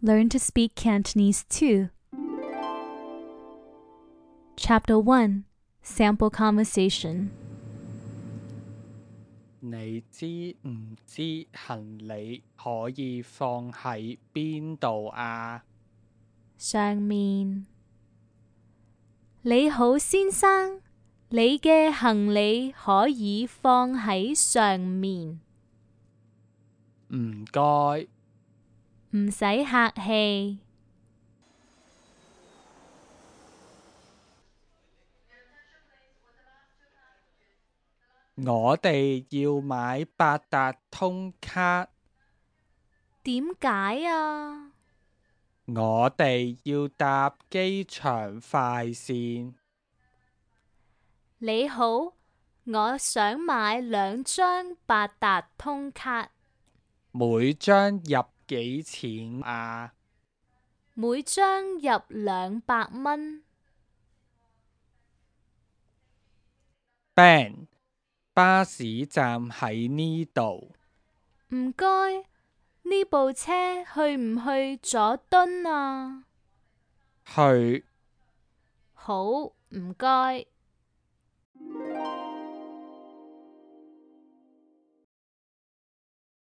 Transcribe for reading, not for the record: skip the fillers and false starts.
Learn to speak Cantonese too. Chapter 1 Sample Conversation. 你知唔知行李可以放喺邊度啊？上面。你好，先生，你嘅行李可以放喺上面。唔該。唔使客氣。我哋要買八達通卡。點解啊？我哋要搭機場快線。你好，我想買2張八達通卡。每張入幾錢啊？每張入200蚊。Ben，巴士站喺呢度。唔該，呢部車去唔去佐敦啊？去。好，唔該。